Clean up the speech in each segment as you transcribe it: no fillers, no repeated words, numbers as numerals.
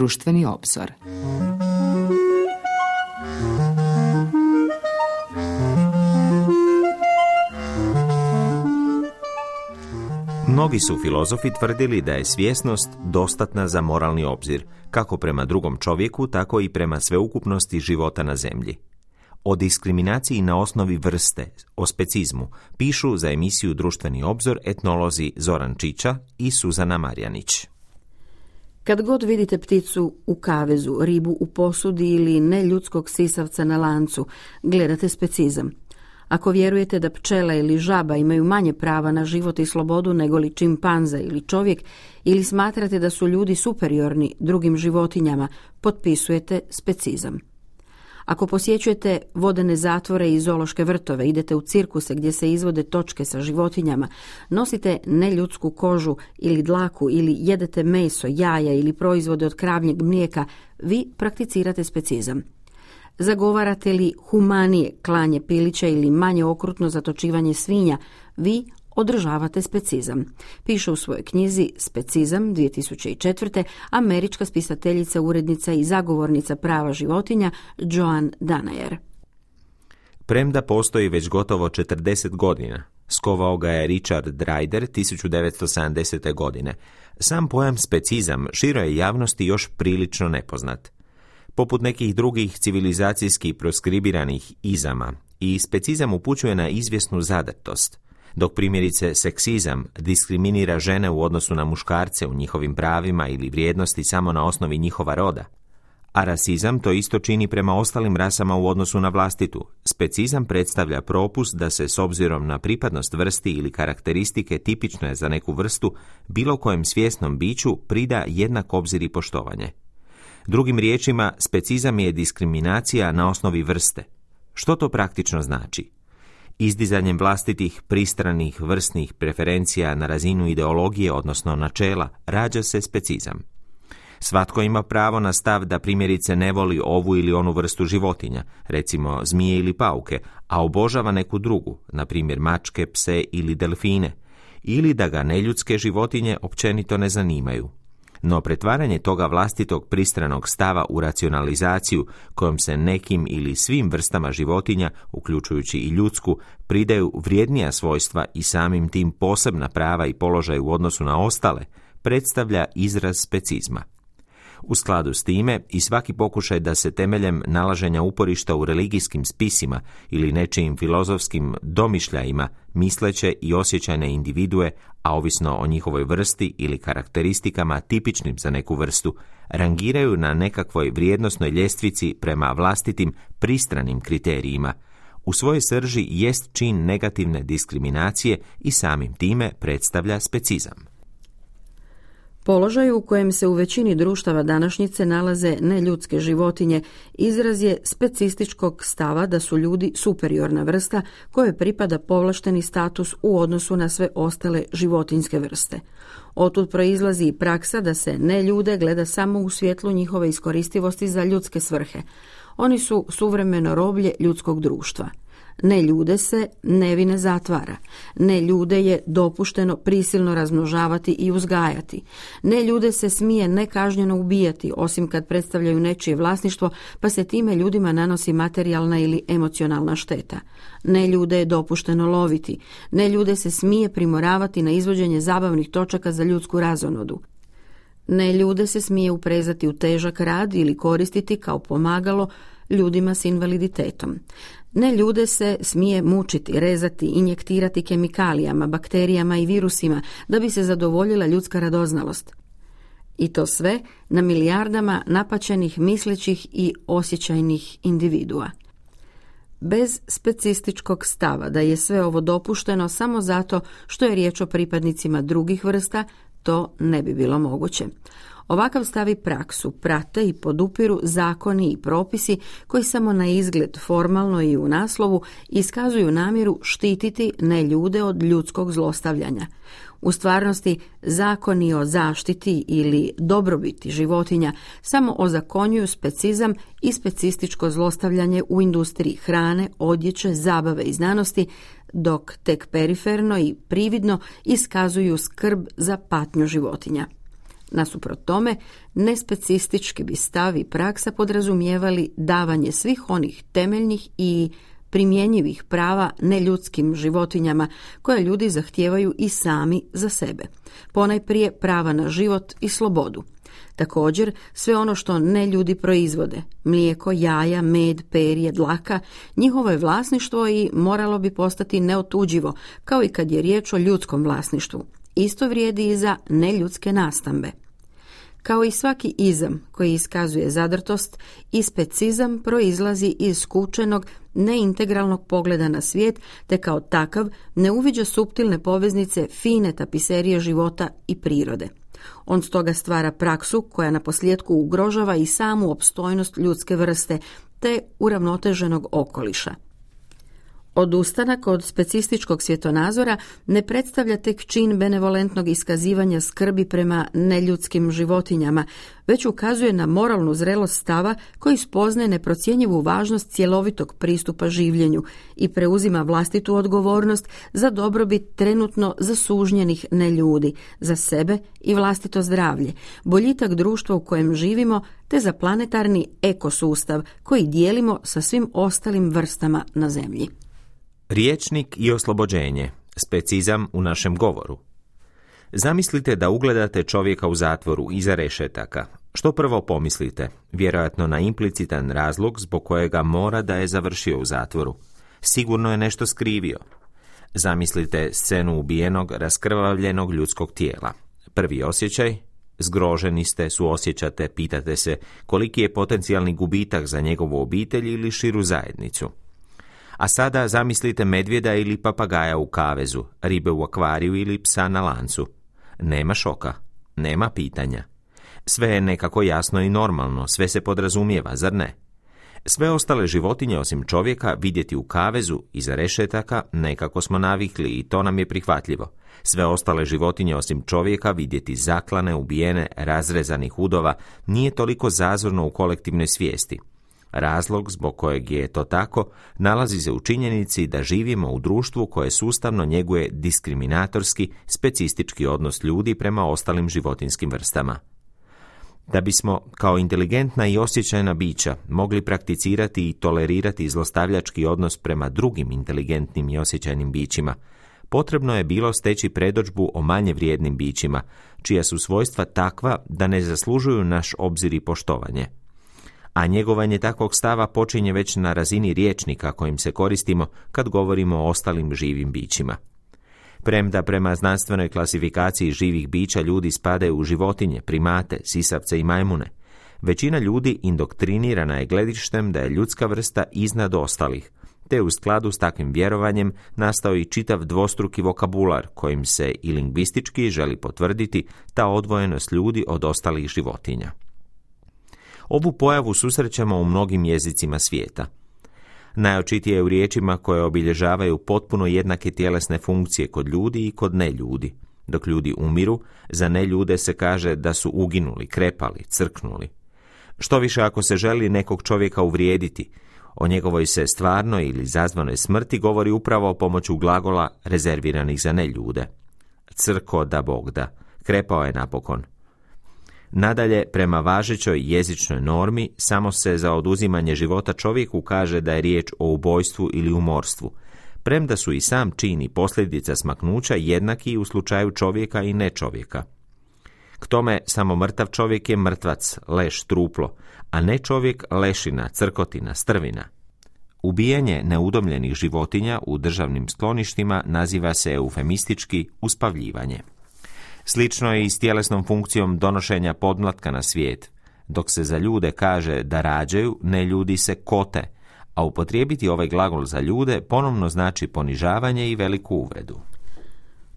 društveni obzor. Mnogi su filozofi tvrdili da je svjesnost dostatna za moralni obzir, kako prema drugom čovjeku, tako i prema sveukupnosti života na zemlji. O diskriminaciji na osnovi vrste, o specizmu, pišu za emisiju Društveni obzor etnolozi Zoran Čiča i Suzana Marjanić. Kad god vidite pticu u kavezu, ribu u posudi ili neljudskog sisavca na lancu, gledate specizam. Ako vjerujete da pčela ili žaba imaju manje prava na život i slobodu nego li čimpanza ili čovjek, ili smatrate da su ljudi superiorni drugim životinjama, potpisujete specizam. Ako posjećujete vodene zatvore i zoološke vrtove, idete u cirkuse gdje se izvode točke sa životinjama, nosite neljudsku kožu ili dlaku ili jedete meso, jaja ili proizvode od kravljeg mlijeka, vi prakticirate specizam. Zagovarate li humanije klanje pilića ili manje okrutno zatočivanje svinja, vi održavate specizam. Piše u svojoj knjizi Specizam 2004. američka spisateljica, urednica i zagovornica prava životinja Joan Danaher. Premda postoji već gotovo 40 godina, skovao ga je Richard Dreider 1970. godine, sam pojam specizam široj javnosti još prilično nepoznat. Poput nekih drugih civilizacijski proskribiranih izama, i specizam upućuje na izvjesnu zadrtost, dok primjerice seksizam diskriminira žene u odnosu na muškarce u njihovim pravima ili vrijednosti samo na osnovi njihova roda. A rasizam to isto čini prema ostalim rasama u odnosu na vlastitu. Specizam predstavlja propust da se s obzirom na pripadnost vrsti ili karakteristike tipične za neku vrstu bilo kojem svjesnom biću prida jednak obzir i poštovanje. Drugim riječima, specizam je diskriminacija na osnovi vrste. Što to praktično znači? Izdizanjem vlastitih pristranih vrstnih preferencija na razinu ideologije, odnosno načela, rađa se specizam. Svatko ima pravo na stav da primjerice ne voli ovu ili onu vrstu životinja, recimo zmije ili pauke, a obožava neku drugu, na primjer mačke, pse ili delfine, ili da ga neljudske životinje općenito ne zanimaju. No pretvaranje toga vlastitog pristranog stava u racionalizaciju kojom se nekim ili svim vrstama životinja, uključujući i ljudsku, pridaju vrijednija svojstva i samim tim posebna prava i položaj u odnosu na ostale, predstavlja izraz specizma. U skladu s time i svaki pokušaj da se temeljem nalaženja uporišta u religijskim spisima ili nečijim filozofskim domišljajima misleće i osjećajne individue, a ovisno o njihovoj vrsti ili karakteristikama tipičnim za neku vrstu, rangiraju na nekakvoj vrijednosnoj ljestvici prema vlastitim pristranim kriterijima, u svojoj srži jest čin negativne diskriminacije i samim time predstavlja specizam. Položaj u kojem se u većini društava današnjice nalaze neljudske životinje izraz je specističkog stava da su ljudi superiorna vrsta kojoj pripada povlašteni status u odnosu na sve ostale životinjske vrste. Otud proizlazi i praksa da se neljude gleda samo u svjetlu njihove iskoristivosti za ljudske svrhe. Oni su suvremeno roblje ljudskog društva. Neljude se nevine zatvara. Neljude je dopušteno prisilno razmnožavati i uzgajati. Neljude se smije nekažnjeno ubijati, osim kad predstavljaju nečije vlasništvo, pa se time ljudima nanosi materijalna ili emocionalna šteta. Neljude je dopušteno loviti. Neljude se smije primoravati na izvođenje zabavnih točaka za ljudsku razonodu. Neljude se smije uprezati u težak rad ili koristiti kao pomagalo ljudima s invaliditetom. Neljude se smije mučiti, rezati, injektirati kemikalijama, bakterijama i virusima da bi se zadovoljila ljudska radoznalost. I to sve na milijardama napaćenih, mislećih i osjećajnih individua. Bez specističkog stava da je sve ovo dopušteno samo zato što je riječ o pripadnicima drugih vrsta, to ne bi bilo moguće. Ovakav stav i praksu prate i podupiru zakoni i propisi koji samo na izgled formalno i u naslovu iskazuju namjeru štititi neljude od ljudskog zlostavljanja. U stvarnosti, zakoni o zaštiti ili dobrobiti životinja samo ozakonjuju specizam i specističko zlostavljanje u industriji hrane, odjeće, zabave i znanosti, dok tek periferno i prividno iskazuju skrb za patnju životinja. Nasuprot tome, nespecistički bi stav i praksa podrazumijevali davanje svih onih temeljnih i primjenjivih prava neljudskim životinjama koje ljudi zahtijevaju i sami za sebe. Ponajprije prava na život i slobodu. Također, sve ono što neljudi proizvode, mlijeko, jaja, med, perje, dlaka, njihovo je vlasništvo i moralo bi postati neotuđivo, kao i kad je riječ o ljudskom vlasništvu. Isto vrijedi i za neljudske nastambe. Kao i svaki izam koji iskazuje zadrtost, i specizam proizlazi iz skučenog, neintegralnog pogleda na svijet, te kao takav ne uviđa suptilne poveznice fine tapiserije života i prirode. On stoga stvara praksu koja naposljetku ugrožava i samu opstojnost ljudske vrste, te uravnoteženog okoliša. Odustanak od specističkog svjetonazora ne predstavlja tek čin benevolentnog iskazivanja skrbi prema neljudskim životinjama, već ukazuje na moralnu zrelost stava koji spoznaje neprocjenjivu važnost cjelovitog pristupa življenju i preuzima vlastitu odgovornost za dobrobit trenutno zasužnjenih neljudi, za sebe i vlastito zdravlje, boljitak društva u kojem živimo, te za planetarni ekosustav koji dijelimo sa svim ostalim vrstama na zemlji. Rječnik i oslobođenje, specizam u našem govoru. Zamislite da ugledate čovjeka u zatvoru iza rešetaka. Što prvo pomislite? Vjerojatno na implicitan razlog zbog kojega mora da je završio u zatvoru. Sigurno je nešto skrivio. Zamislite scenu ubijenog, raskrvavljenog ljudskog tijela. Prvi osjećaj? Zgroženi ste, suosjećate, pitate se koliki je potencijalni gubitak za njegovu obitelj ili širu zajednicu. A sada zamislite medvjeda ili papagaja u kavezu, ribe u akvariju ili psa na lancu. Nema šoka, nema pitanja. Sve je nekako jasno i normalno, sve se podrazumijeva, zar ne? Sve ostale životinje osim čovjeka vidjeti u kavezu iza rešetaka nekako smo navikli i to nam je prihvatljivo. Sve ostale životinje osim čovjeka vidjeti zaklane, ubijene, razrezanih udova nije toliko zazorno u kolektivnoj svijesti. Razlog zbog kojeg je to tako nalazi se u činjenici da živimo u društvu koje sustavno njeguje diskriminatorski, specistički odnos ljudi prema ostalim životinjskim vrstama. Da bismo, kao inteligentna i osjećajna bića, mogli prakticirati i tolerirati zlostavljački odnos prema drugim inteligentnim i osjećajnim bićima, potrebno je bilo steći predodžbu o manje vrijednim bićima, čija su svojstva takva da ne zaslužuju naš obzir i poštovanje. A njegovanje takvog stava počinje već na razini rječnika kojim se koristimo kad govorimo o ostalim živim bićima. Premda prema znanstvenoj klasifikaciji živih bića ljudi spadaju u životinje, primate, sisavce i majmune, većina ljudi indoktrinirana je gledištem da je ljudska vrsta iznad ostalih, te u skladu s takvim vjerovanjem nastao i čitav dvostruki vokabular kojim se i lingvistički želi potvrditi ta odvojenost ljudi od ostalih životinja. Ovu pojavu susrećemo u mnogim jezicima svijeta. Najočitije je u riječima koje obilježavaju potpuno jednake tjelesne funkcije kod ljudi i kod neljudi. Dok ljudi umiru, za neljude se kaže da su uginuli, krepali, crknuli. Što više ako se želi nekog čovjeka uvrijediti, o njegovoj se stvarnoj ili zazvanoj smrti govori upravo pomoću glagola rezerviranih za neljude. Crko da Bog da, krepao je napokon. Nadalje, prema važećoj jezičnoj normi, samo se za oduzimanje života čovjeku kaže da je riječ o ubojstvu ili umorstvu, premda su i sam čin i posljedica smaknuća jednaki u slučaju čovjeka i nečovjeka. K tome, samo mrtav čovjek je mrtvac, leš, truplo, a ne čovjek lešina, crkotina, strvina. Ubijanje neudomljenih životinja u državnim skloništima naziva se eufemistički uspavljivanje. Slično je i s tjelesnom funkcijom donošenja podmlatka na svijet. Dok se za ljude kaže da rađaju, ne ljudi se kote, a upotrijebiti ovaj glagol za ljude ponovno znači ponižavanje i veliku uvredu.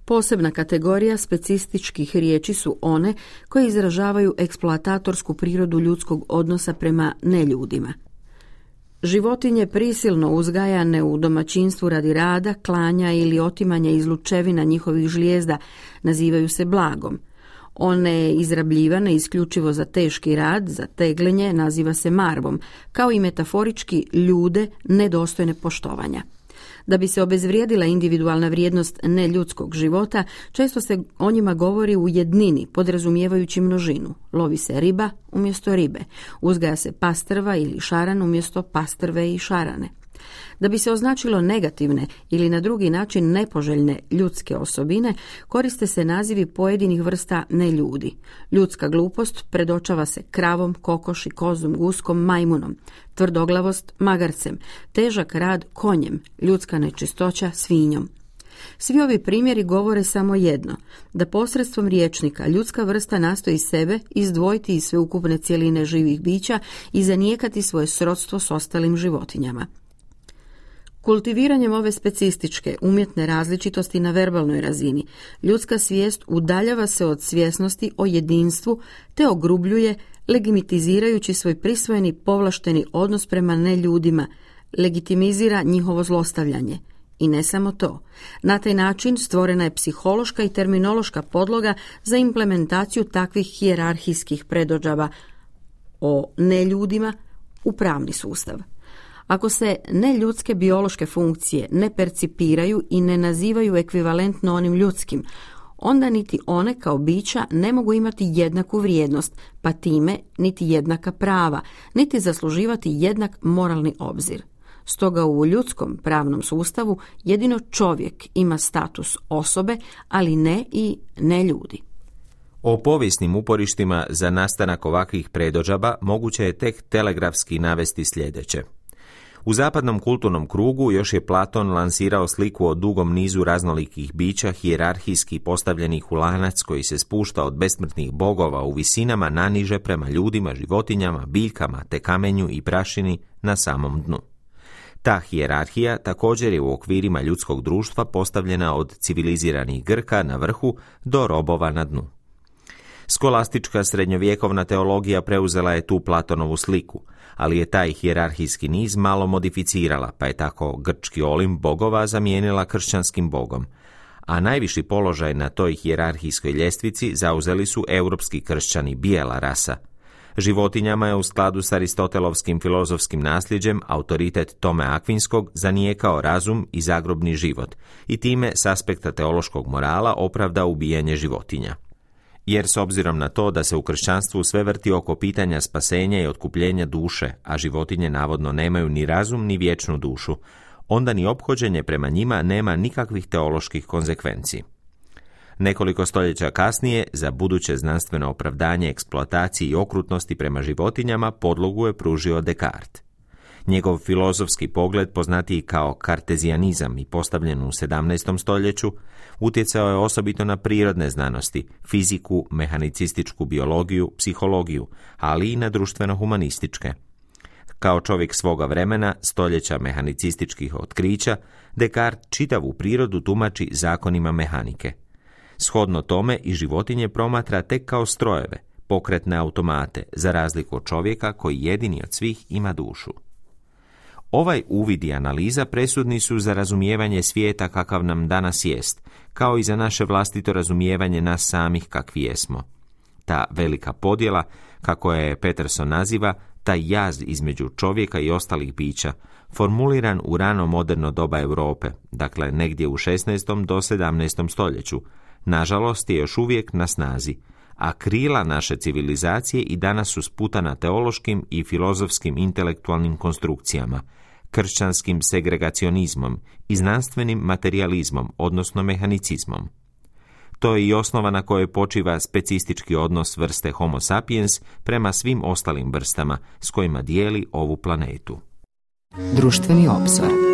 Posebna kategorija specističkih riječi su one koje izražavaju eksploatatorsku prirodu ljudskog odnosa prema neljudima. Životinje prisilno uzgajane u domaćinstvu radi rada, klanja ili otimanja izlučevina njihovih žlijezda nazivaju se blagom. One izrabljivane isključivo za teški rad, za tegljenje, naziva se marvom, kao i metaforički ljude nedostojne poštovanja. Da bi se obezvrijedila individualna vrijednost neljudskog života, često se o njima govori u jednini, podrazumijevajući množinu. Lovi se riba umjesto ribe, uzgaja se pastrva ili šaran umjesto pastrve i šarane. Da bi se označilo negativne ili na drugi način nepoželjne ljudske osobine, koriste se nazivi pojedinih vrsta neljudi. Ljudska glupost predočava se kravom, kokoši, kozom, guskom, majmunom, tvrdoglavost magarcem, težak rad konjem, ljudska nečistoća svinjom. Svi ovi primjeri govore samo jedno, da posredstvom rječnika ljudska vrsta nastoji sebe izdvojiti iz sveukupne cjeline živih bića i zanijekati svoje srodstvo s ostalim životinjama. Kultiviranjem ove specističke, umjetne različitosti na verbalnoj razini, ljudska svijest udaljava se od svjesnosti o jedinstvu te ogrubljuje, legitimizirajući svoj prisvojeni povlašteni odnos prema neljudima, legitimizira njihovo zlostavljanje. I ne samo to. Na taj način stvorena je psihološka i terminološka podloga za implementaciju takvih hijerarhijskih predodžaba o neljudima u pravni sustav. Ako se neljudske biološke funkcije ne percipiraju i ne nazivaju ekvivalentno onim ljudskim, onda niti one kao bića ne mogu imati jednaku vrijednost, pa time niti jednaka prava, niti zasluživati jednak moralni obzir. Stoga u ljudskom pravnom sustavu jedino čovjek ima status osobe, ali ne i neljudi. O povijesnim uporištima za nastanak ovakvih predodžaba moguće je tek telegrafski navesti sljedeće. U zapadnom kulturnom krugu još je Platon lansirao sliku o dugom nizu raznolikih bića hijerarhijski postavljenih u lanac koji se spušta od besmrtnih bogova u visinama naniže prema ljudima, životinjama, biljkama te kamenju i prašini na samom dnu. Ta hijerarhija također je u okvirima ljudskog društva postavljena od civiliziranih Grka na vrhu do robova na dnu. Skolastička srednjovjekovna teologija preuzela je tu Platonovu sliku, ali je taj hijerarhijski niz malo modificirala, pa je tako grčki Olimp bogova zamijenila kršćanskim bogom, a najviši položaj na toj hijerarhijskoj ljestvici zauzeli su europski kršćani, bijela rasa. Životinjama je u skladu s aristotelovskim filozofskim nasljeđem autoritet Tome Akvinskog zanijekao razum i zagrobni život i time s aspekta teološkog morala opravda ubijanje životinja. Jer s obzirom na to da se u kršćanstvu sve vrti oko pitanja spasenja i otkupljenja duše, a životinje navodno nemaju ni razum ni vječnu dušu, onda ni ophođenje prema njima nema nikakvih teoloških konzekvenci. Nekoliko stoljeća kasnije, za buduće znanstveno opravdanje eksploataciji i okrutnosti prema životinjama podlogu je pružio Descartes. Njegov filozofski pogled, poznatiji kao kartezijanizam i postavljen u 17. stoljeću, utjecao je osobito na prirodne znanosti, fiziku, mehanicističku biologiju, psihologiju, ali i na društveno-humanističke. Kao čovjek svoga vremena, stoljeća mehanicističkih otkrića, Descartes čitavu prirodu tumači zakonima mehanike. Shodno tome i životinje promatra tek kao strojeve, pokretne automate, za razliku od čovjeka koji jedini od svih ima dušu. Ovaj uvid i analiza presudni su za razumijevanje svijeta kakav nam danas jest, kao i za naše vlastito razumijevanje nas samih kakvi jesmo. Ta velika podjela, kako je Peterson naziva, taj jaz između čovjeka i ostalih bića, formuliran u rano moderno doba Europe, dakle negdje u 16. do 17. stoljeću, nažalost je još uvijek na snazi, a krila naše civilizacije i danas su sputana teološkim i filozofskim intelektualnim konstrukcijama, kršćanskim segregacionizmom i znanstvenim materijalizmom, odnosno mehanicizmom. To je i osnova na kojoj počiva specistički odnos vrste Homo sapiens prema svim ostalim vrstama s kojima dijeli ovu planetu. Društveni obzor.